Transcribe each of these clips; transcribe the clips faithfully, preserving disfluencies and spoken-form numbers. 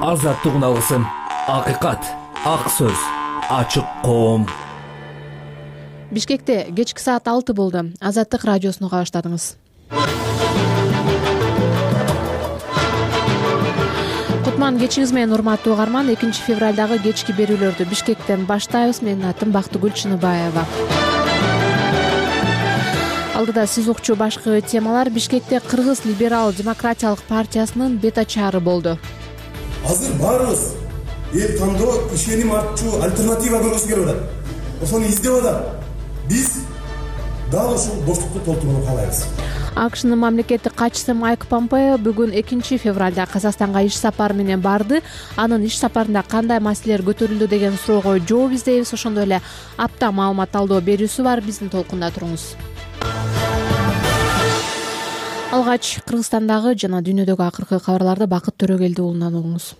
азаттыгын алгысым, акыйкат, ак сөз, ачык коом. Бишкекте кечки саат алты болду. Азаттык радиосуну уга баштадыңыз. Кутман кечиңиз менен, урматтуу угарман. экинчи февралдагы кечки берүүлөрдү Бишкектен баштайбыз. Менин атым Бактыгүл Чыныбаева. Алдыда сиз укчу башкы темалар. Бишкекте Кыргыз либерал демократиялык партиясынын бет ачаары болду. Азыр баарыбыз эл тандоо ишеним артчу альтернатива көргүсү келип атат. Ошону издеп атат. Биз дал ушул боштукту толтурууну каалайбыз. АКШнын мамлекеттик катчысы Майк Помпео бүгүн экинчи февралда Казакстанга иш сапары менен барды. Анын иш сапарында кандай маселелер көтөрүлдү деген суроого жооп издейбиз. Ошондой эле апта маалымат талдоо берүүсү бар. Биздин толкунда туруңуз. Алгач Кыргызстандагы жана дүйнөдөгү акыркы кабарларды Бакыт Төрөгелди уулунан угуңуз.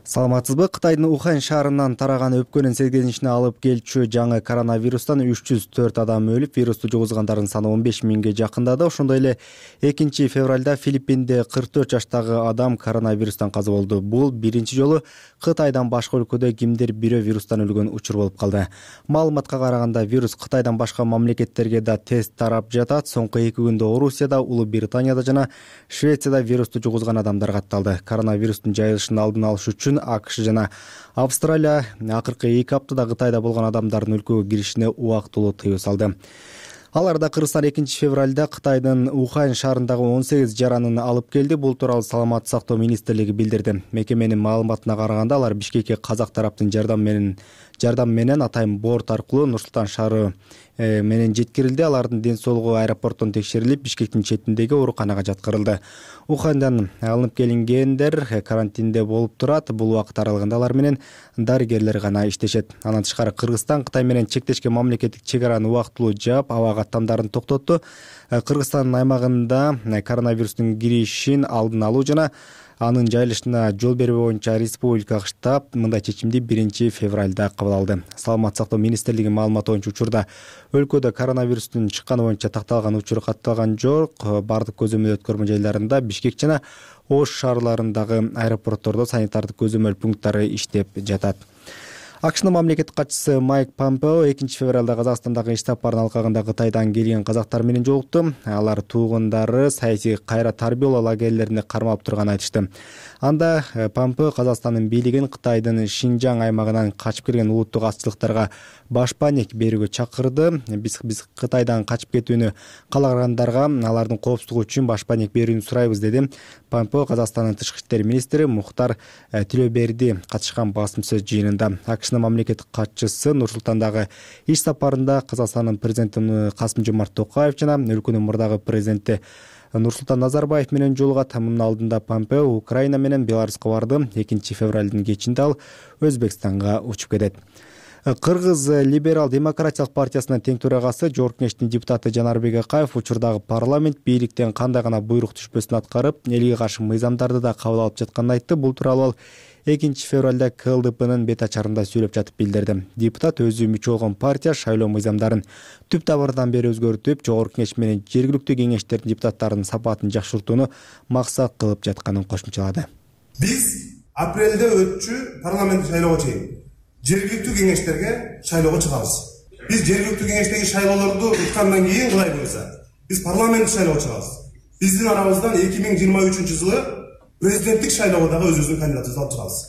Саламатсызбы? Кытайдын Ухань шаарынан тараган өпкөнүн сезгенишине алып келчү жаңы коронавирустан үч жүз төрт адам өлүп, вирусту жугузгандардын саны он беш миңге жакындады. Ошондой эле экинчи февралда Филиппинде кырк төрт жаштагы адам коронавирустан каза болду. Бул биринчи жолу Кытайдан башка өлкөдө кимдир бирөө вирустан өлгөн учур болуп калды. Маалыматка караганда вирус Кытайдан башка мамлекеттерге да тест тарап жатат. Соңку эки күндө Орусияда, Улуу Британияда жана Швецияда вирусту жугузган адамдар катталды. Коронавирустун жайылышын алдын алыш үчүн АКШ жана Австралия акыркы эки аптада Кытайда болгон адамдардын өлкөгө киришине убактылуу тыюу салды. Аларда Кыргызстан экинчи февралда Кытайдын Ухань шаарындагы он сегиз жаранын алып келди. Бул тууралуу Саламаттык сактоо министрлиги билдирди. Мекеменин маалыматына караганда алар Бишкекке казак тараптын жардам менен жардам менен атайын борт аркылуу Нур-Султан шаары менен жеткирилди. Алардын ден соолугу аэропорттон текшерилип, Бишкектин четиндеги ооруканага жаткырылды. Уханьдан алынып келингендер карантинде болуп турат. Бул убакыт аралыгында алар менен дарыгерлер гана иштешет. Андан тышкары Кыргызстан Кытай менен чектешкен мамлекеттик чек араны убактылуу жаап, аба каттамдарын токтотту. Кыргызстандын аймагында коронавирустун киришин алдын алуу жана анын жайылышына жол берүү боюнча республикалык штаб мындай чечимди биринчи февралда кабыл алды. Саламаттык сактоо министрлигинин маалыматы боюнча учурда өлкөдө коронавирустун чыкканы боюнча такталган учур катталган жок. Бардык көзөмөл өткөрмө жайларында Бишкек жана Ош шаарларындагы аэропорттордо санитардык көзөмөл пункттары иштеп жатат. АКШнын мамлекеттик катчысы Майк Помпео экинчи февралда Казакстандагы иш сапарынын алкагында Кытайдан келген казактар менен жолукту. Алар туугундары саясий кайра тарбиялоо лагерлерине кармалып турганын айтышты. Анда Помпео Казакстандын бийлигин Кытайдын Шинжаң аймагынан качып келген улуттук азчылыктарга башпаанек берүүгө чакырды. Биз биз Кытайдан качып кетүүнү каалагандарга алардын коопсуздугу үчүн башпаанек берүүнү сурайбыз, деди Помпео Казакстандын тышкы иштер министри Мухтар Тилөберди катышкан басым сөз жыйынында. АКШнын мамлекеттик катчысы Нур-Султандагы иш сапарында Казакстандын президенти Касым-Жомарт Токаев жана өлкөнүн мурдагы президенти Нурсултан Назарбаев менен жолугат. Мунун алдында Помпео Украина менен Беларуска барды. экинчи февралдын кечинде ал Өзбекстанга учуп кетет. Кыргыз либерал демократиялык партиясынын тең төрагасы Жогорку Кеңештин депутаты Жанарбек Акаев учурдагы парламент бийликтен кандай гана буйрук түшпөсүн аткарып, элге каршы мыйзамдарды да кабыл алып жатканын айтты. Бул тууралуу ал экинчи февралда КЛДПнын бет ачарында сүйлөп жатып билдирди. Депутат өзү мүчө болгон партия шайлоо мыйзамдарын түп табырдан бери өзгөртүп, Жогорку Кеңеш менен жергиликтүү кеңештердин депутаттарынын сапатын жакшыртууну максат кылып жатканын кошумчалады. Биз апрелде өтчү парламент шайлоого чейин жергиликтүү кеңештерге шайлоого чыгабыз. Биз жергиликтүү кеңештеги шайлоолорду уткандан кийин кылай болсо, биз парламент шайлоого чыгабыз. Биздин арабыздан эки миң жыйырма үчүнчү жылы президенттик шайлоого дагы өзүбүздүн кандидатыбызды алып чыгабыз.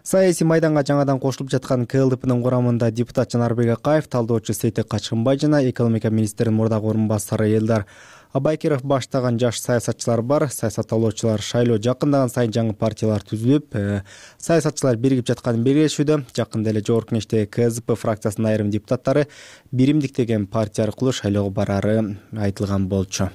Саясий майданга жаңадан кошулуп жаткан КЛДПнын курамында депутат Жанарбек Акаев, талдоочу Сейтек Качкынбай жана экономика министринин мурдагы орун басары Элдар Абайкиров баштаган жаш саясатчылар бар. Саясаттоолочулар шайлоо жакындаган сайын жаңы партиялар түзүлүп, саясатчылар биригип жатканын белгилешүүдө. Жакында эле Жогорку Кеңештеги КСДП фракциясынын айрым депутаттары биримдик деген партия аркылуу шайлоого барары айтылган болчу.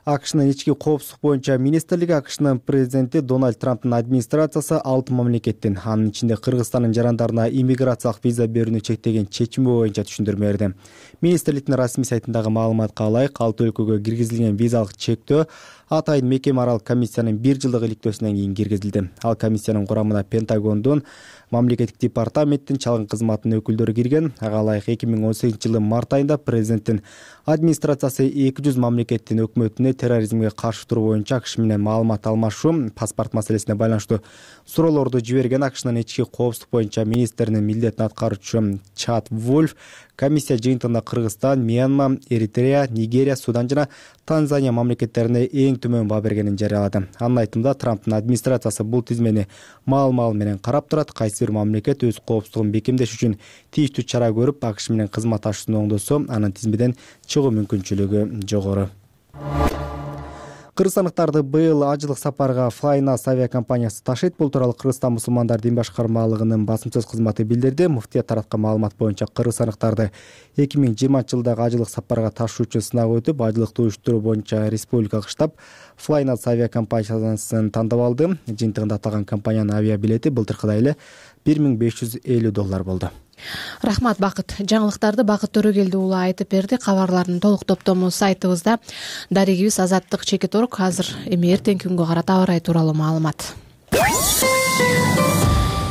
АКШнын ички коопсуздук боюнча министрлиги АКШнын президенти Дональд Трамптын администрациясы алты мамлекеттин, анын ичинде Кыргызстандын жарандарына иммиграциялык виза берүүнү чектеген чечими боюнча түшүндүрмө берди. Министрликтин расмий сайтындагы маалыматка ылайык, алты өлкөгө киргизилген визалык чектөө атайын мекеме аралык комиссиянын бир жылдык иликтөөсүнөн кийин киргизилди. Ал комиссиянын курамына Пентагондун, мамлекеттик департаменттин, чалгын кызматынын өкүлдөрү кирген. Ага ылайык эки миң он сегизинчи жылдын март айында президенттин администрациясы эки жүз мамлекеттин өкмөтүнө терроризмге каршы туруу боюнча АКШ менен маалымат алмашуу, паспорт маселесине байланыштуу суроолорду жиберген АКШнын ички коопсуздук боюнча министринин милдетин аткаруучу Чад Вольф комиссия жыйынтыгында Кыргызстан, Мьянма, Эритрея, Нигерия, Судан жана Танзания мамлекеттерине эң төмөн баа бергенин жарыялады. Анын айтымында Трамптын администрациясы бул тизмени маал-маал менен карап турат. Кайсы бир мамлекет өз коопсуздугун бекемдеш үчүн тийиштүү чара көрүп, АКШ менен кызматташууну оңдосо, анын тизмеден чыгуу мүмкүнчүлүгү жогору. Кыргызстандыктарды быйыл ажылык сапарга Flynas авиакомпаниясы ташыйт. Бул тууралуу Кыргызстан мусулмандар дин башкармалыгынын басым-сөз кызматы билдирди. Муфтият тараткан маалымат боюнча кыргызстандыктарды эки миң жыйырманчы жылдагы ажылык сапарга ташуу үчүн сынак өтүп, ажылыкты уюштуруу боюнча республикалык штаб Flynas авиакомпаниясын тандап алды. Жыйынтыгында аталган компаниянын авиабилети былтыркыдай эле бир миң беш жүз элүү доллар болду. Рахмат, Бакыт. Жаңылыктарды Бакыт Төрөгелди уулу айтып берди. Кабарлардын толук топтому сайтыбызда. Дарегибиз Азаттык Чекит Орг. Азыр эми эртеңки күнгө карата аба ырайы тууралуу маалымат.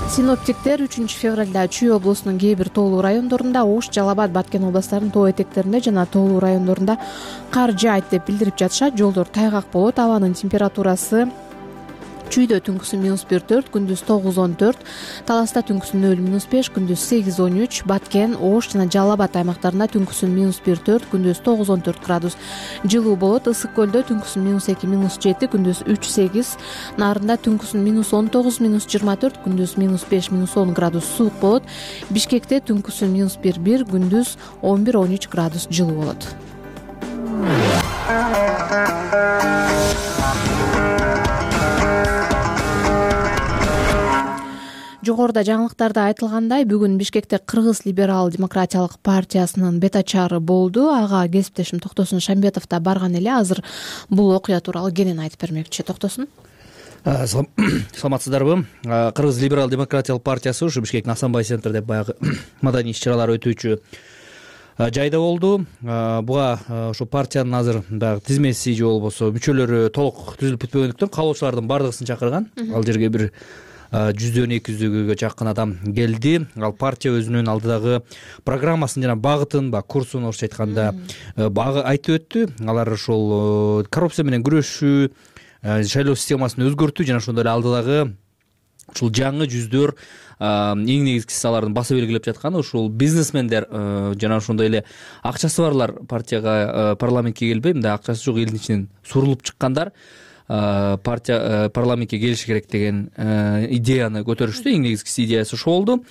Синоптиктер үчүнчү февралда Чүй облусунун кээ бир тоолуу райондорунда, Ош, Жалал Абад, Баткен областарынын тоо этектеринде жана тоолуу райондорунда кар жаайт деп билдирип жатышат. Жолдор тайгак болот. Абанын температурасы Чүйдө түнкүсүн минус бир төрт, күндүз тогуз он төрт, Таласта түнкүсүн нөл минус беш, күндүз сегиз он үч, Баткен, Ош жана Жалал Абад аймактарында түнкүсүн минус бир төрт, күндүз тогуз он төрт градус жылуу болот. Ысык көлдө түнкүсүн минус эки минус жети, күндүз үч сегиз, Нарында түнкүсүн минус он тогуз минус жыйырма төрт, күндүз минус беш минус он градус суук болот. Бишкекте түнкүсүн минус бир бир, күндүз он бир он үч градус жылуу болот. Жогоруда жаңылыктарда айтылгандай, бүгүн Бишкекте Кыргыз либерал демократиялык партиясынын бетачары болду. Ага кесиптешим Токтосун Шамбетов да барган эле. Азыр бул окуя тууралуу кенен айтып бермекчи. Токтосун. Саламатсыздарбы? Кыргыз либерал демократиялык партиясы ушу Бишкектин Асанбай центр деп баягы маданий иш-чаралар өтүүчү жайда болду. Буга ошо партиянын азыр баягы тизмеси же болбосо мүчөлөрү толук түзүлүп бүтпөгөндүктөн каалоочулардын бардыгысын чакырган. Ал жерге бир жүздөн эки жүзгө жакын адам келди. Ал партия өзүнүн алдыдагы программасын жана багытын, ба курсун орусча айтканда багы айтып өттү. Алар ошол коррупция менен күрөшүү, шайлоо системасын өзгөртүү жана ошондой эле алдыдагы ушул жаңы жүздөр, эң негизгиси алардын баса белгилеп жатканы ушул бизнесмендер жана ошондой эле акчасы барлар партияга, парламентке келбей, мындай акчасы жок элдин ичинен сурулуп чыккандар партия парламентке келиши керек деген идеяны көтөрүштү. Эң негизгиси идеясы ошол болду.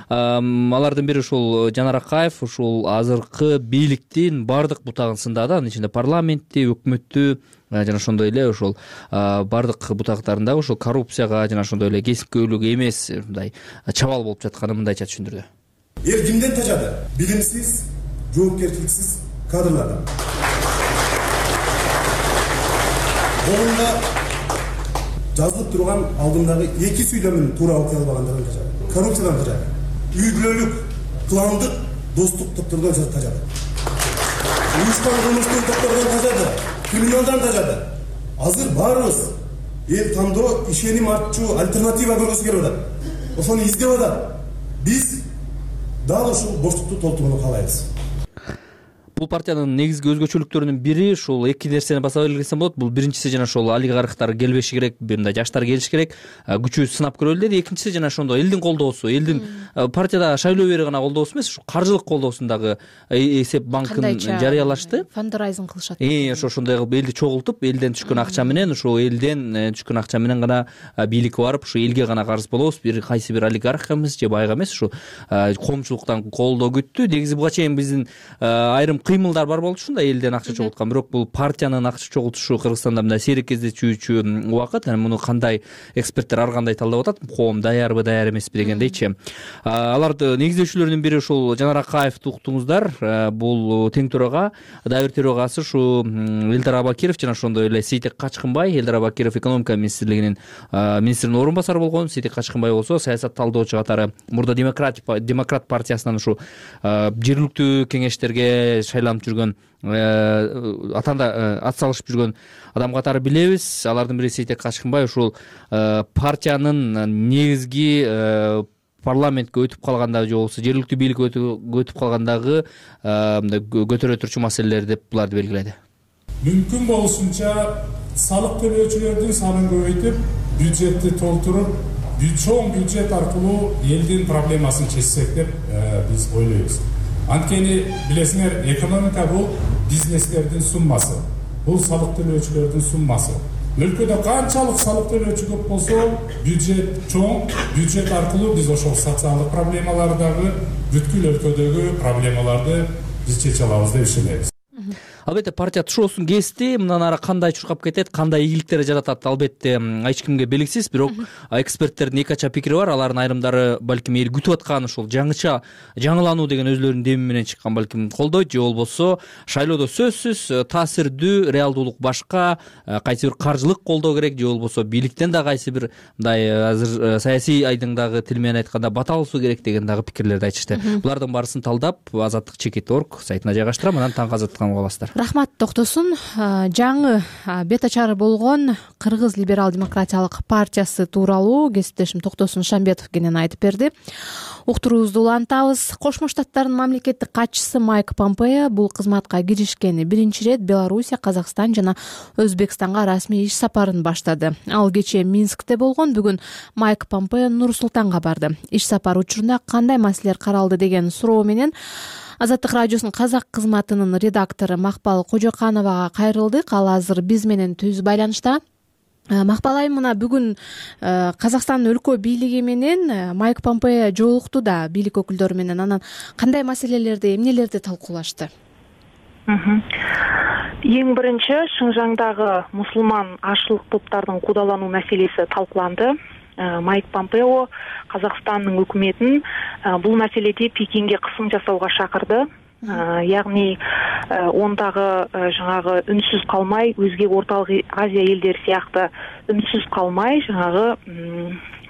Алардын бири ушул Жанар Акаев ушул азыркы бийликтин бардык бутагын сындады. Анын ичинде парламентти, өкмөттү жана ошондой эле ошол бардык бутактарында ошол коррупцияга жана ошондой эле кесипкөйлүк эмес мындай чабал болуп жатканын мындайча түшүндүрдү. Эл кимден тажады? Билимсиз, жоопкерчиликсиз кадрлардан. Колунда жазылып турган алдымдагы эки сүйлөмүн туура окуй албагандардан тажады. Коррупциядан тажады. Үй бүлөлүк, кландык, достук топтордон тажады. Уюшкан кылмыштык топтордон тажады. Криминалдан тажады. Азыр баарыбыз эл тандоо, ишеним артчу альтернатива көргүсү келип атат. Ошону издеп атат. Биз дал ушул боштукту толтурууну каалайбыз. Бул партиянын негизги өзгөчөлүктөрүнүн бири ушул эки нерсени баса белгилесем болот. Бул биринчиси жана ошол олигархтар келбеши керек, мындай жаштар келиши керек, күчү сынап көрөлү деди. Экинчиси жана ошондой элдин колдоосу, элдин партияда шайлоо бери гана колдоосу эмес, ушу каржылык колдоосун дагы эсеп банкын жарыялашты. Фандрайзинг кылышат. Э, ошо ошондой кылып элди чогултуп, элден түшкөн акча менен, ошо элден түшкөн акча менен гана бийликке барып, ушу элге гана карыз болобуз. Бир кайсы бир олигарх эмес же байга эмес, ушу коомчулуктан колдоо күттү. Негизи буга чейин биздин айрым кыймылдар бар болчу да, элден акча чогулткан. Бирок бул партиянын акча чогултушу Кыргызстанда мындай сейрек кездешүүчү убакыт. Анан муну кандай эксперттер ар кандай талдап атат? Коом даярбы, даяр эмеспи дегендейчи. Аларды негиздөөчүлөрүнүн бири ушул Жанар Акаевди уктуңуздар. Бул тең төрага, дагы бир төрагасы ушу Элдар Абакиров жана ошондой эле Сейтек Качкынбай. Элдар Абакиров экономика министрлигинин министринин орун басары болгон. Сейтек Качкынбай болсо саясат талдоочу катары мурда демократ демократ партиясынан ушу жергиликтүү кеңештерге шайланып жүргөн, атанда ат салышып жүргөн адам катары билебиз. Алардын бири Сейтек Качкынбай ушул партиянын негизги парламентке өтүп калганда же болбосо жергиликтүү бийликке өтүп калгандагы мындай көтөрө турчу маселелер деп буларды белгиледи. мүмкүн болушунча салык төлөөчүлөрдүн санын көбөйтүп, бюджетти толтуруп, чоң бюджет аркылуу элдин проблемасын чечсек деп биз ойлойбуз. Анткени билесиңер, экономика бул бизнестердин суммасы, бул салык төлөөчүлөрдүн суммасы. Өлкөдө канчалык салык төлөөчү көп болсо, бюджет чоң, бюджет аркылуу биз ошол социалдык проблемалардагы, бүткүл өлкөдөгү проблемаларды биз чече алабыз деп ишенебиз. Албетте партия тушоосун кести, мындан ары кандай чуркап кетет, кандай ийгиликтер жаратат, албетте эч кимге белгисиз, бирок эксперттердин эки ача пикири бар. Алардын айрымдары балким эл күтүп аткан ушул жаңыча жаңылануу деген өзлөрүнүн деми менен чыккан балким колдойт, же болбосо шайлоодо сөзсүз таасирдүү реалдуулук башка, кайсы бир каржылык колдоо керек, же болбосо бийликтен да кайсы бир мындай азыр саясий айдыңдагы тил менен айтканда бата алышуу керек деген дагы пикирлерди айтышты. Булардын баарысын талдап Азаттык чекит точка орг сайтына жайгаштырам, анан таңкы азаттыкка аласыздар. Рахмат Токтосун. Жаңы бет ачары болгон Кыргыз либерал-демократиялык партиясы тууралуу кесиптешим Токтосун Шамбетов кенен айтып берди. Уктуруубузду улантабыз. Кошмо Штаттардын мамлекеттик катчысы Майк Помпео бул кызматка киришкени биринчи рет Белоруссия, Казакстан жана Өзбекстанга расмий иш сапарын баштады. Ал кечээ Минскте болгон, бүгүн Майк Помпео Нур-Султанга барды. Иш сапар учурунда кандай маселелер каралды деген суроо менен Азаттык радиосунун казак кызматынын редактору Макпал Кожокановага кайрылдык. Ал азыр биз менен түз байланышта. Макпал айым, мына бүгүн Казакстандын өлкө бийлиги менен Майк Помпео жолукту да бийлик өкүлдөрү менен. Анан кандай маселелерди, эмнелерди талкуулашты? Эң биринчи Шыңжаңдагы мусулман ашылык топтардын куудалануу маселеси талкууланды. Майк Помпео Казакстандын өкмөтүн бул маселеде Пекинге кысым жасауга чакырды. Ягни ондагы жаңагы үнсүз калмай, өзге Ортолук Азия элдери сыяктуу үнсүз калмай, жаңагы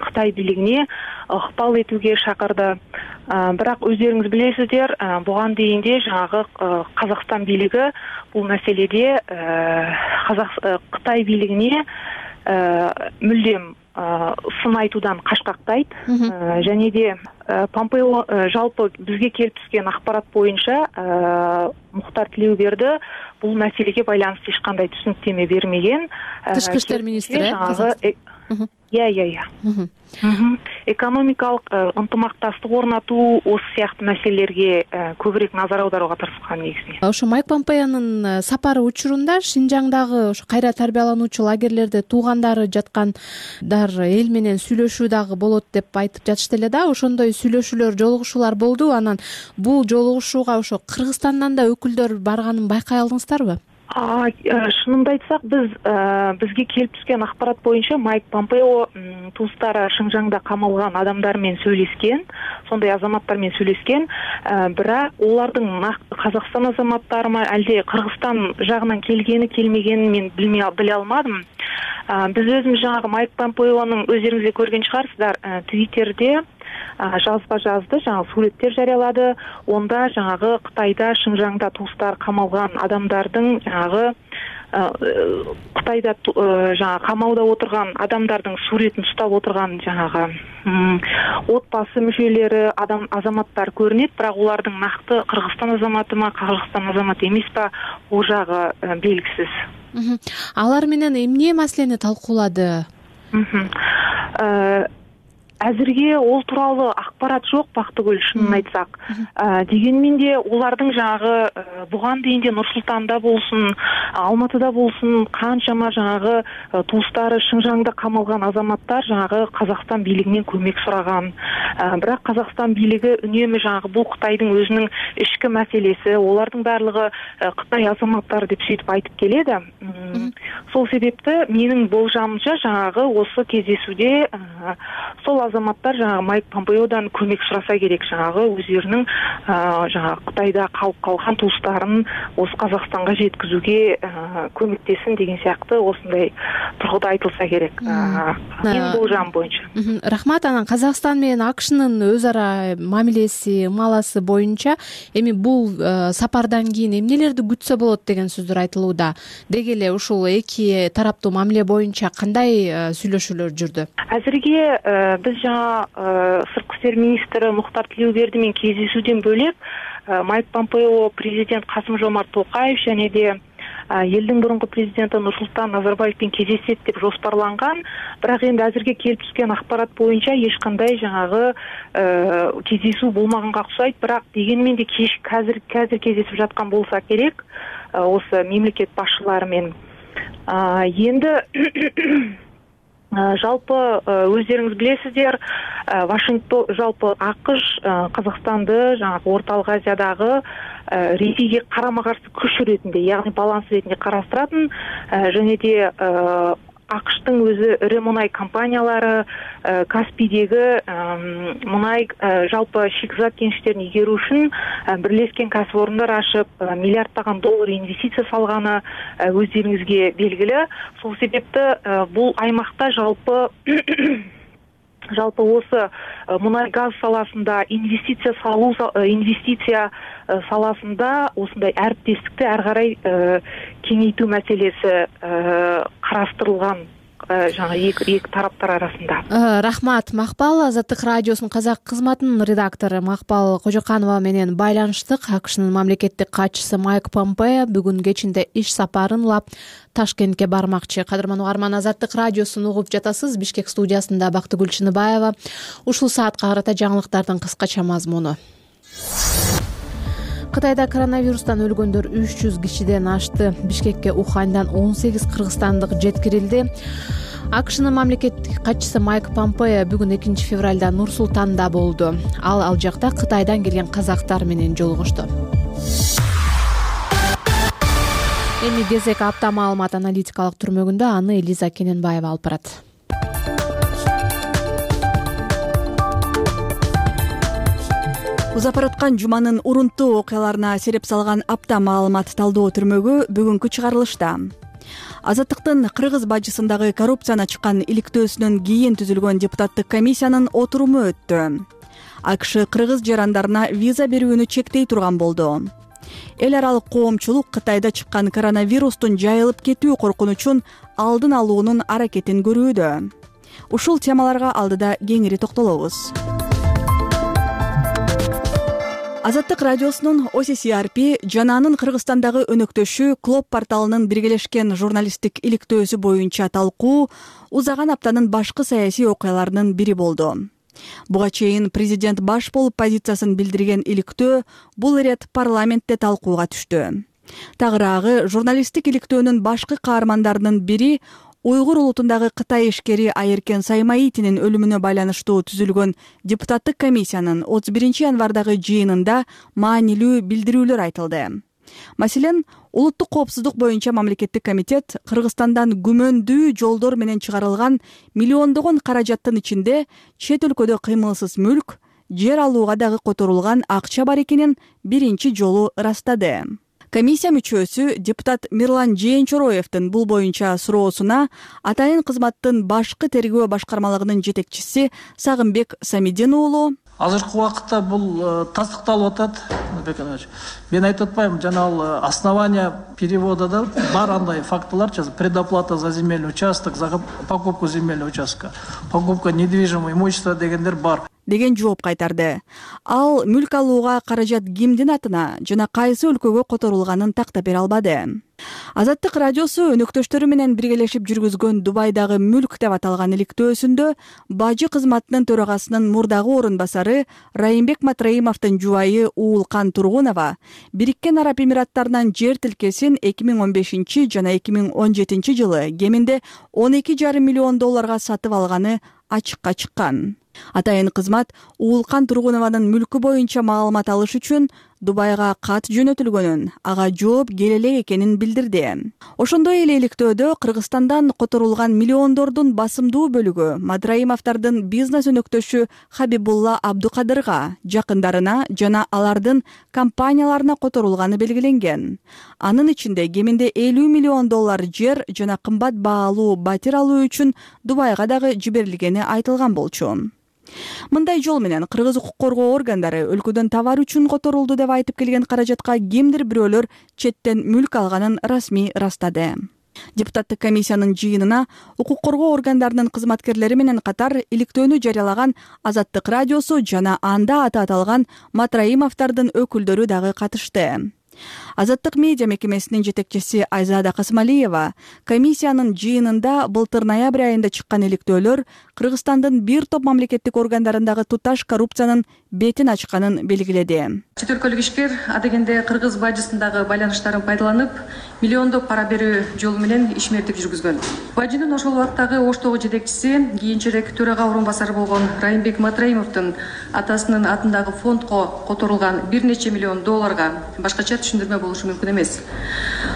Кытай бийлигине ыкпал этүүгө чакырды. Бирок өздөрүңүз билесиздер, буга дейин де жаңагы Казакстан бийлиги бул маселеде Кытай бийлигине мүлдем сын айтуудан качкактайт. Және де Помпео жалпы бизге келип түскөн акпарат боюнча Мухтар Тилеуберди бул маселеге байланыштуу эч кандай түшүнүктөмө бермеген. Тышкы иштер министри Иә, иә, иә. Экономикалык ынтымакташтык орнатуу, осы сыяктуу маселелерге көбүрөөк назар аударууга тырышкан негизинен. Ошо Майк Помпеонун сапары учурунда Шинжаңдагы ошо кайра тарбиялануучу лагерлерде туугандары жаткандар эл менен сүйлөшүү дагы болот деп айтып жатышты эле да. Ошондой сүйлөшүүлөр, жолугушуулар болду. Анан бул жолугушууга ошо Кыргызстандан да өкүлдөр барганын байкай алдыңыздарбы? Шынымды айтсак, биз бизге келип түскөн акпарат боюнча Майк Помпео туустары Шыңжаңда камалган адамдар менен сөйлөшкөн, сондай азаматтар менен сөйлөшкөн. Бирок олардын Казакстан азаматтарымы, алде Кыргызстан жагынан келгени, келмегенин мен билмей биле алмадым. Биз өзүбүз жаңагы Майк Помпеонун өздөрүңүз көргөн чыгарсыздар, Твиттерде жазба жазды, жаңа сүрөттөр жарыялады. Онда жаңагы Кытайда Шыңжаңда туустар камалган адамдардын жаңагы Кытайда жаңа камауда отурган адамдардын сүрөтүн уштап отурган жаңагы отбасы мүчөлөрү, адам азаматтар көрүнөт, бирок улардын накты Кыргызстан азаматымы, Кыргызстан азаматы эмеспи, бул жагы белгисиз. Алар менен эмне маселени талкуулады? Азырге ол тууралуу акпарат жок, Бактыгүл, шынын айтсак. Дегенмен де улардын жаңагы буган дейин де Нур-Султанда болсун, Алматыда болсун, канчама жаңагы туустары Шыңжаңда камалган азаматтар жаңагы Казакстан бийлигинен көмөк сураган. Бирок Казакстан бийлиги үнөмө жаңагы бул Кытайдын өзүнүн ички маселеси, олардын баардыгы Кытай азаматтары деп сөйтүп айтып келеди. Сол себепти менин болжамымча жаңагы осы кездесүүдө сол азаматтар жаңагы Майк Помпеодан көмөк сураса керек, жаңагы өздөрүнүн жаңагы Кытайда калып калган туустарын осы Казакстанга жеткизүүгө көмөктесин деген сыяктуу осындай тургуда айтылса керек. Менин болжам боюнча. Рахмат. Анан Казакстан менен АКШнын өз ара мамилеси, ымаласы боюнча эми бул сапардан кийин эмнелерди күтсө болот деген сөздөр айтылууда. Деги эле ушул эки тараптуу мамиле боюнча кандай сүйлөшүүлөр жүрдү? Азырге биз жаңа сырткы иштер министри Мухтар Тилеуберди менен кездесүүдөн бөлөк Майк Помпео президент Касым Жомарт Токаев және де элдин мурунку президенти Нурсултан Назарбаевдин кездешет деп жоспарланган. Бирок эми азыркы келип түшкөн акпарат боюнча эч кандай жанагы кездесүү болмаганга окшойт. Бирок дегенмен де кеш азыр азыр кездешип жаткан болса керек осы мемлекет башчылары менен. Енді жалпы өздеріңіз білесіздер, Вашингтон жалпы АКШ Қазақстанды жаңағы Орталық Азиядағы Ресейге карама-каршы күш ретинде, яғни баланс ретинде карастыратын, және де АКШтың өзі ірі мұнай компаниялары Каспийдегі мұнай жалпы шикізат кеніштерін игеру үшін бірлескен кәсіпорындар ашып миллиардтаған доллар инвестиция салғаны өздеріңізге белгілі. Сол себепті бұл аймақта жалпы жалпы осы мұнай газ саласында инвестиция салу инвестиция саласында осындай әріптестікті әрі қарай кеңейту мәселесі қарастырылған жаңа екі тараптар арасында. Рахмат. Макпал, Азаттык радиосунун казак кызматынын редактору Макпал Кожоканова менен байланыштык. АКШнын мамлекеттик катчысы Майк Помпео бүгүн кечинде иш сапарын улап Ташкентке бармакчы. Кадырман угарман, Азаттык радиосун угуп жатасыз. Бишкек студиясында Бактыгүл Чыныбаева. Ушул саатка карата жаңылыктардын кыскача мазмуну. Кытайда коронавирустан өлгөндөр үч жүз кишиден ашты. Бишкекке Уханьдан он сегиз кыргызстандык жеткирилди. АКШнын мамлекеттик катчысы Майк Помпео бүгүн экинчи февралда Нур-Султанда болду. Ал ал жакта Кытайдан келген казактар менен жолугушту. Эми кезек апта маалымат аналитикалык түрмөгүндө аны Элиза Кененбаева алып барат. Узап бараткан жуманын урунттуу окуяларына сереп салган апта маалымат талдоо түрмөгү бүгүнкү чыгарылышта. Азаттыктын кыргыз бажысындагы коррупцияны ачкан иликтөөсүнөн кийин түзүлгөн депутаттык комиссиянын отуруму өттү. АКШ кыргыз жарандарына виза берүүнү чектей турган болду. Эл аралык коомчулук Кытайда чыккан коронавирустун жайылып кетүү коркунучун алдын алуунун аракетин көрүүдө. Ушул темаларга алдыда кеңири токтолобуз. Азаттык радиосунун О С С Р П жананын Кыргызстандагы өнөктөшү Клоп порталынын биргелешкен журналисттик иликтөөсү боюнча талкуу узаган аптанын башкы саясий окуяларынын бири болду. Буга чейин президент баш болуп позициясын билдирген иликтөө бул ирет парламентте талкууга түштү. Тагыраагы журналисттик иликтөөнүн башкы каармандарынын бири Уйгур улутундагы Кытай ишкери Айыркен Саймаитинин өлүмүнө байланыштуу түзүлгөн депутаттык комиссиянын отуз биринчи январдагы жыйынында маанилүү билдирүүлөр айтылды. Маселен, улуттук коопсуздук боюнча мамлекеттик комитет Кыргызстандан күмөндүү жолдор менен чыгарылган миллиондогон каражаттын ичинде чет өлкөдө кыймылсыз мүлк, жер алууга дагы которулган акча бар экенин биринчи жолу ырастады. Комиссия мүчөсү депутат Мирлан Жээнчороевдин бул боюнча суроосуна атайын кызматтын башкы тергөө башкармалыгынын жетекчиси Сагынбек Самидин уулу азыркы убакытта бул тастыкталып атат. Мен айтып атпайм, жана ал основания перевода да бар андай фактылар, предоплата за земельный участок, за покупку земельного участка, покупка недвижимого имущества дегендер бар деген жооп кайтарды. Ал мүлк алууга каражат кимдин атына жана кайсы өлкөгө которулганын тактап бере албады. Азаттык радиосу өнөктөштөрү менен биргелешип жүргүзгөн Дубайдагы мүлк деп аталган иликтөөсүндө бажы кызматынын төрагасынын мурдагы орун басары Райымбек Матраимовдун жубайы Уулкан Тургунова Бириккен Араб Эмираттарынан жер тилкесин эки миң он бешинчи жана эки миң он жетинчи жылы кеминде он эки жарым миллион долларга сатып алганы ачыкка чыккан. Атайын кызмат Уулкан Тургунованын мүлкү боюнча маалымат алыш үчүн Дубайга кат жөнөтүлгөнүн, ага жооп келе элек экенин билдирди. Ошондой эле иликтөөдө Кыргызстандан которулган миллиондордун басымдуу бөлүгү Матраимовдордун бизнес өнөктөшү Хабибулла Абдукадырга, жакындарына жана алардын компанияларына которулганы белгиленген. Анын ичинде кеминде элүү миллион доллар жер жана кымбат баалуу батир алуу үчүн Дубайга дагы жиберилгени айтылган болчу. Мындай жол менен кыргыз укук коргоо органдары өлкөдөн товар үчүн которулду деп айтып келген каражатка кимдир бирөөлөр четтен мүлк алганын расмий ырастады. Депутаттык комиссиянын жыйынына укук коргоо органдарынын кызматкерлери менен катар иликтөөнү жарыялаган Азаттык радиосу жана анда аты аталган Матраимовдордун өкүлдөрү дагы катышты. Азаттык медиа мекемесинин жетекчиси Айзада Касымалиева комиссиянын жыйынында былтыр ноябрь айында чыккан иликтөөлөр Кыргызстандын бир топ мамлекеттик органдарындагы туташ коррупциянын бетин ачканын белгиледи. Чет өлкөлүк ишкер адегенде кыргыз бажысындагы байланыштарын пайдаланып, миллиондоп пара берүү жолу менен ишмердик жүргүзгөн. Бажынын ошол убактагы оштогу жетекчиси, кийинчерээк төрага орун басары болгон Райымбек Матраимовдун атасынын атындагы фондко которулган бир нече миллион долларга башкача түшүндүрмө болушу мүмкүн эмес.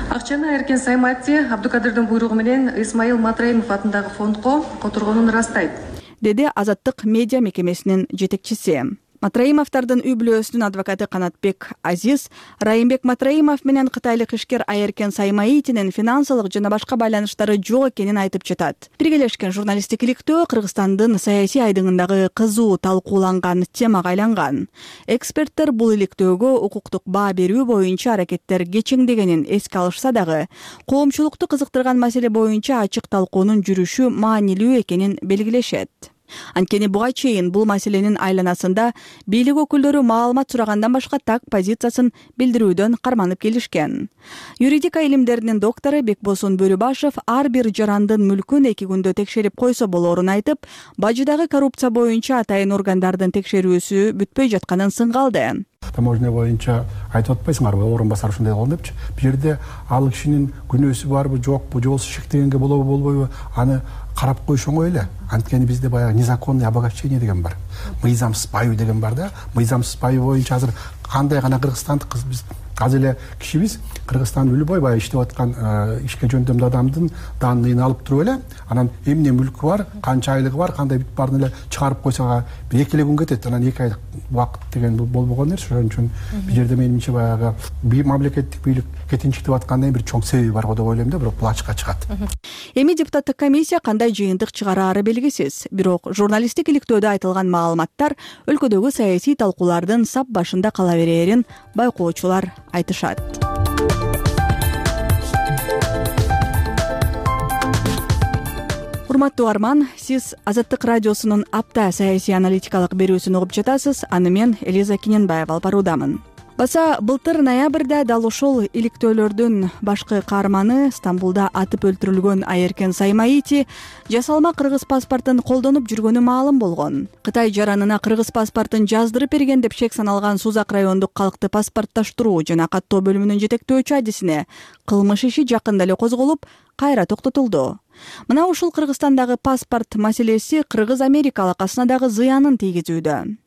Акчаны Эркен Саймати Абдукадырдын буйругу менен Исмаил Матраимов атындагы фондко которгонун ырастайт, деди Азаттык медиа мекемесинин жетекчиси. Матраимовдордун үй бүлөсүнүн адвокаты Канатбек Азиз Райымбек Матраимов менен кытайлык ишкер Айеркен Саймаитинин финансылык жана башка байланыштары жок экенин айтып жатат. Биргелешкен журналисттик иликтөө Кыргызстандын саясий айдыңындагы кызуу талкууланган темага айланган. Эксперттер бул иликтөөгө укуктук баа берүү боюнча аракеттер кечеңдегенин эске алышса дагы, коомчулукту кызыктырган маселе боюнча ачык талкуунун жүрүшү маанилүү экенин белгилешет. Анткени буга чейин бул маселенин айланасында бийлик өкүлдөрү маалымат сурагандан башка так позициясын билдирүүдөн карманып келишкен. Юридика илимдеринин доктору Бекбосун Бөрүбашев ар бир жарандын мүлкүн эки күндө текшерип койсо болоорун айтып, бажыдагы коррупция боюнча атайын органдардын текшерүүсү бүтпөй жатканын сынгалды. Таможня боюнча айтып атпайсыңарбы, орун басар ушундай болгон депчи. Бул жерде ал кишинин күнөөсү барбы, жокпу, же болбосо шектегенге болобу, болбойбу, аны карап коюш оңой эле. Анткени бизде баягы незаконный обогащение деген бар. Мыйзамсыз байуу деген бар да. Мыйзамсыз байуу боюнча азыр кандай гана кыргызстандык биз аз эле кишибиз Кыргызстан любой баягы иштеп аткан ишке жөндөмдүү адамдын данныйын алып туруп эле, анан эмне мүлкү бар, канча айлыгы бар, кандай бүт баарын эле чыгарып койсо эки эле күн кетет. Анан эки айлык убакыт деген болбогон нерсе. Ошон үчүн бул жерде менимче баягы бир мамлекеттик бийлик кетинчиктеп аткандын бир чоң себеби бар го деп ойлойм да, бирок бул ачыкка чыгат. Эми депутаттык комиссия кандай жыйынтык чыгараары белгисиз. Бирок журналисттик иликтөөдө айтылган маалыматтар өлкөдөгү саясий талкуулардын сап башында кала берээрин байкоочулар айтышат. Урматтуу арман, сиз Азаттык радиосунун апта саясий аналитикалык берүүсүн угуп жатасыз. Аны мен Элиза Киненбаева алып баруудамын. Баса былтыр ноябрда дал ушул иликтөөлөрдүн башкы каарманы Стамбулда атып өлтүрүлгөн Айеркен Саймаити жасалма кыргыз паспортун колдонуп жүргөнү маалым болгон. Кытай жаранына кыргыз паспортун жаздырып берген деп шек саналган Сузак райондук калкты паспорттоштуруу жана каттоо бөлүмүнүн жетектөөчү адисине кылмыш иши жакында эле козголуп, кайра токтотулду. Мына ушул Кыргызстандагы паспорт маселеси кыргыз-америка алакасына дагы зыянын тийгизүүдө.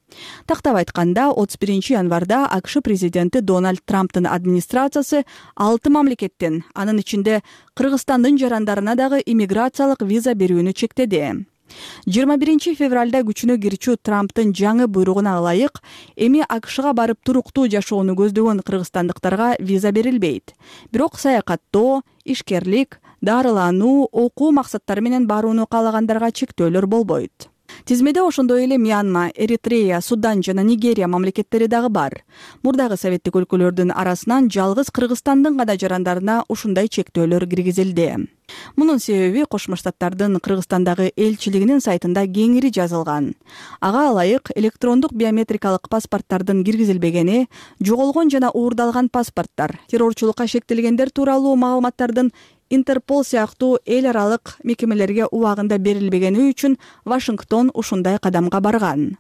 Тактап айтканда, отуз биринчи январда АКШ президенти Дональд Трамптын администрациясы алты мамлекеттен, анын ичинде Кыргызстандын жарандарына дагы иммиграциялык виза берүүнү чектеди. жыйырма биринчи февралда күчүнө кирчү Трамптын жаңы буйругуна ылайык, эми АКШга барып туруктуу жашоону көздөгөн кыргызстандыктарга виза берилбейт. Бирок саякаттоо, ишкерлик, дарылануу, окуу максаттары менен барууну каалагандарга чектөөлөр болбойт. Тизмеде ошондой эле Мьянма, Эритрея, Судан жана Нигерия мамлекеттери дагы бар. Мурдагы советтик өлкөлөрдүн арасынан жалгыз Кыргызстандын гана жарандарына ушундай чектөөлөр киргизилди. Мунун себеби Кошмо Штаттардын Кыргызстандагы элчилигинин сайтында кеңири жазылган. Ага ылайык электрондук биометрикалык паспорттардын киргизилбегени, жоголгон жана уурдалган паспорттар, террорчулукка шектелгендер тууралуу маалыматтардын Интерпол сыяктуу эл аралык мекемелерге убагында берилбегени үчүн Вашингтон ушундай кадамга барган.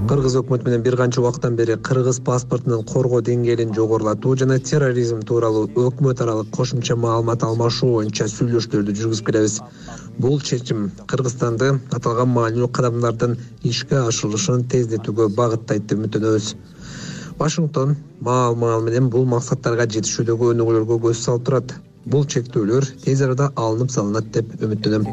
Кыргыз өкмөтү менен бир канча убакыттан бери кыргыз паспортунун коргоо деңгээлин жогорулатуу жана терроризм тууралуу өкмөт аралык кошумча маалымат алмашуу боюнча сүйлөшүүлөрдү жүргүзүп келебиз. Бул чечим Кыргызстанды аталган маанилүү кадамдардын ишке ашырылышын тездетүүгө багыттайт деп үмүттөнөбүз. Вашингтон маал-маал менен бул максаттарга жетишүүдөгү өнүгүүлөргө көз салып турат. Бул чектөөлөр тез арада алынып салынат деп үмүттөнөм,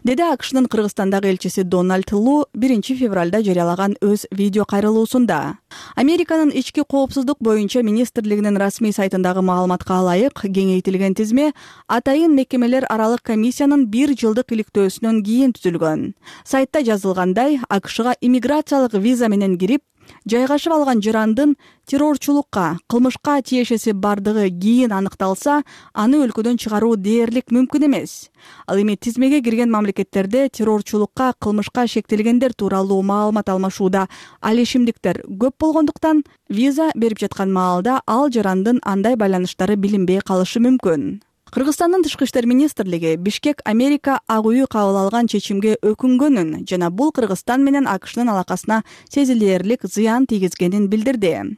деди АКШнын Кыргызстандагы элчиси Дональд Лу биринчи февралда жарыялаган өз видео кайрылуусунда. Американын ички коопсуздук боюнча министрлигинин расмий сайтындагы маалыматка ылайык, кеңейтилген тизме атайын мекемелер аралык комиссиянын бир жылдык иликтөөсүнөн кийин түзүлгөн. Сайтта жазылгандай, АКШга иммиграциялык виза менен кирип, жайгашып алган жарандын террорчулукка, кылмышка тиешеси бардыгы кийин аныкталса, аны өлкөдөн чыгаруу дээрлик мүмкүн эмес. Ал эми тизмеге кирген мамлекеттерде террорчулукка, кылмышка шектелгендер тууралуу маалымат алмашууда алешимдиктер көп болгондуктан, виза берип жаткан маалда ал жарандын андай байланыштары билинбей калышы мүмкүн. Кыргызстандын тышкы иштер министрлиги Бишкек Америка ак үйү кабыл алган чечимге өкүнгөнүн жана бул Кыргызстан менен АКШнын алакасына сезилерлик зыян тийгизгенин билдирди.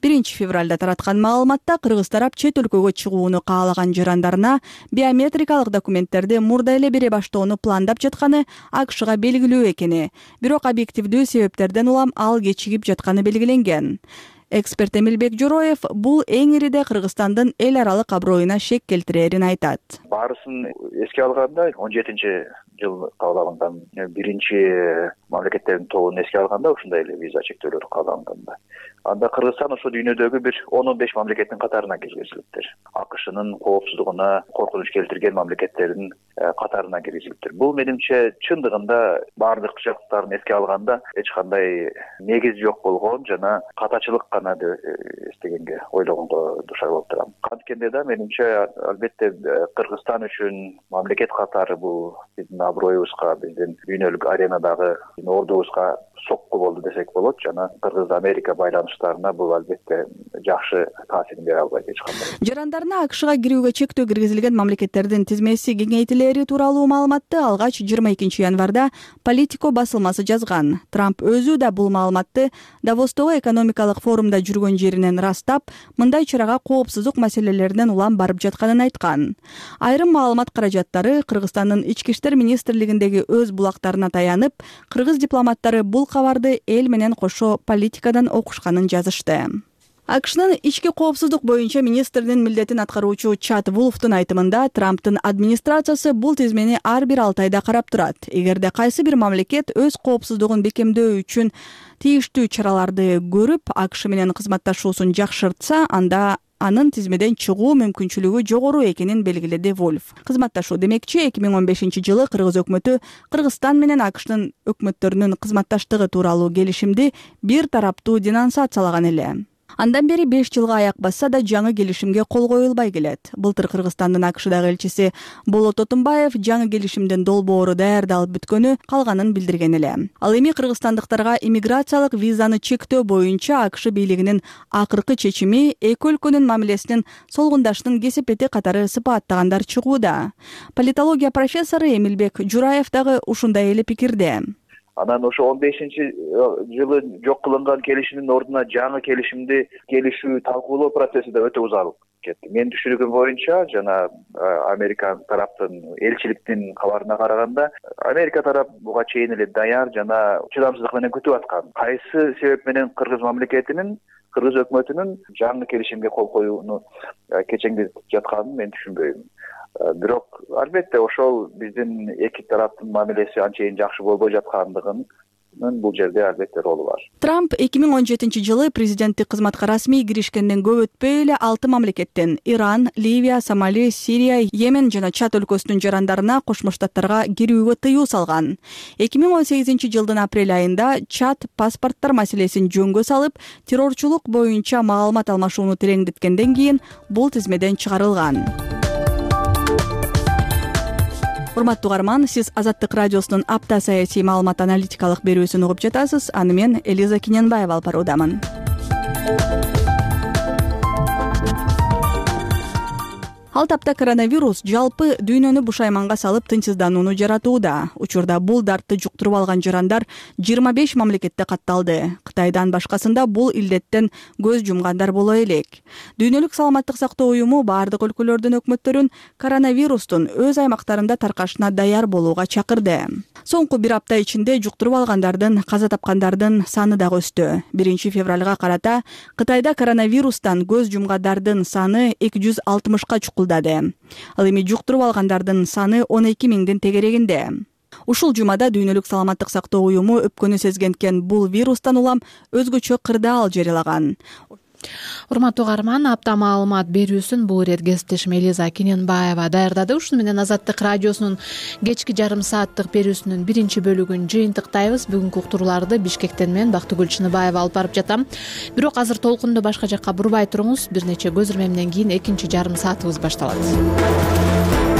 биринчи февралда тараткан маалыматта кыргыз тарап чет өлкөгө чыгууну каалаган жарандарына биометрикалык документтерди мурда эле бере баштоону пландап жатканы АКШга белгилүү экени, бирок объективдүү себептерден улам ал кечигип жатканы белгиленген. Эксперт Эмилбек Жороев бул эң ириде Кыргызстандын эл аралык аброюна шек келтирерин айтат. Баарысын эске алганда он жетинчи жыл кабыл алынган биринчи мамлекеттердин тобун эске алганда ушундай эле виза чектөөлөрү кабыл алынганда, анда Кыргызстан ошо дүйнөдөгү бир он он беш мамлекеттин катарына киргизилиптир. АКШнын коопсуздугуна коркунуч келтирген мамлекеттердин катарына киргизилиптир. Бул менимче чындыгында баардык жактарын эске алганда эч кандай негиз жок болгон жана катачылык гана деп эстегенге ойлогонго душар болуп турам. Анткенде да менимче албетте Кыргызстан үчүн мамлекет катары бул биздин аброюбузга, биздин дүйнөлүк аренадагы ордубузга сокку болду десек болот жана Кыргыз-Америка байланыштарына бул албетте жакшы таасирин бере албайт эч кандай. Жарандарына АКШга кирүүгө чектөө киргизилген мамлекеттердин тизмеси кеңейтилери тууралуу маалыматты алгач жыйырма экинчи январда Политико басылмасы жазган. Трамп өзү да бул маалыматты Давостогу экономикалык форумда жүргөн жеринен ырастап, мындай чарага коопсуздук маселелеринен улам барып жатканын айткан. Айрым маалымат каражаттары Кыргызстандын ички иштер министрлигиндеги өз булактарына таянып, кыргыз дипломаттары бул кабарды эл менен кошо политикадан окушканын жазышты. АКШнын ички коопсуздук боюнча министрдин милдетин аткаруучу Чад Вулфтун айтымында Трамптын администрациясы бул тизмени ар бир алты айда карап турат. Эгерде кайсы бир мамлекет өз коопсуздугун бекемдөө үчүн тийиштүү чараларды көрүп, АКШ менен кызматташуусун жакшыртса, анда анын тизмеден чыгуу мүмкүнчүлүгү жогору экенин белгиледи Вольф. Кызматташуу демекчи эки миң он бешинчи жылы Кыргыз өкмөтү Кыргызстан менен АКШнын өкмөттөрүнүн кызматташтыгы тууралуу келишимди бир тараптуу денонсациялаган эле. Андан бери беш жылга аяк басса да жаңы келишимге кол коюлбай келет. Былтыр Кыргызстандын АКШдагы элчиси Болот Отунбаев жаңы келишимдин долбоору даярдалып бүткөнү калганын билдирген эле. Ал эми кыргызстандыктарга иммиграциялык визаны чектөө боюнча АКШ бийлигинин акыркы чечими эки өлкөнүн мамилесинин солгундашынын кесепети катары сыпаттагандар чыгууда. Политология профессору Эмилбек Жураев дагы ушундай эле пикирде. Анан ошо он бешинчи жылы жок кылынган келишимдин ордуна жаңы келишимди келишүү талкуулоо процесси да өтө узалып кетти. Менин түшүнүгүм боюнча жана Америка тараптын элчиликтин кабарына караганда, Америка тарап буга чейин эле даяр жана чыдамсыздык менен күтүп аткан. Кайсы себеп менен Кыргыз мамлекетинин, Кыргыз өкмөтүнүн жаңы келишимге кол коюуну кечеңдетип жатканын мен түшүнбөйм. Бирок албетте ошол биздин эки тараптын мамилеси анчейин жакшы болбой жаткандыгын бул жерде албетте ролу бар. Трамп эки миң он жетинчи жылы президенттик кызматка расмий киришкенден көп өтпөй эле алты мамлекеттен Иран, Ливия, Сомали, Сирия, Йемен жана Чад өлкөсүнүн жарандарына Кошмо Штаттарга кирүүгө тыюу салган. эки миң он сегизинчи жылдын апрель айында Чад паспорттор маселесин жөнгө салып, террорчулук боюнча маалымат алмашууну тереңдеткенден кийин бул тизмеден чыгарылган. Урматтуу угарман, сиз Азаттык радиосунун апта саясий маалымат аналитикалык берүүсүн угуп жатасыз. Аны мен Элиза Киненбаева алып баруудамын. Ал тапта коронавирус жалпы дүйнөнү бушайманга салып тынчсызданууну жаратууда. Учурда бул дартты жуктуруп алган жарандар жыйырма беш мамлекетте катталды. Кытайдан башкасында бул илдеттен көз жумгандар боло элек. Дүйнөлүк саламаттык сактоо уюму баардык өлкөлөрдүн өкмөттөрүн коронавирустун өз аймактарында таркашына даяр болууга чакырды. Соңку бир апта ичинде жуктуруп алгандардын, каза тапкандардын саны дагы өстү. биринчи февралга карата Кытайда коронавирустан көз жумгандардын саны эки жүз алтымышка чукулдады. Ал эми жуктуруп алгандардын саны он эки миңдин тегерегинде. Ушул жумада дүйнөлүк саламаттык сактоо уюму өпкөнү сезгенткен бул вирустан улам өзгөчө кырдаал жарыялаган. урматтуу каарман, апта маалымат берүүсүн бул ирет кесиптешим Элиза Кененбаева даярдады. Ушуну менен Азаттык радиосунун кечки жарым сааттык берүүсүнүн биринчи бөлүгүн жыйынтыктайбыз. Бүгүнкү уктурууларды Бишкектен мен Бактыгүл Чыныбаева алып барып жатам. Бирок азыр толкунду башка жакка бурбай туруңуз. Бир нече көзүрмө менен кийин экинчи жарым саатыбыз башталат.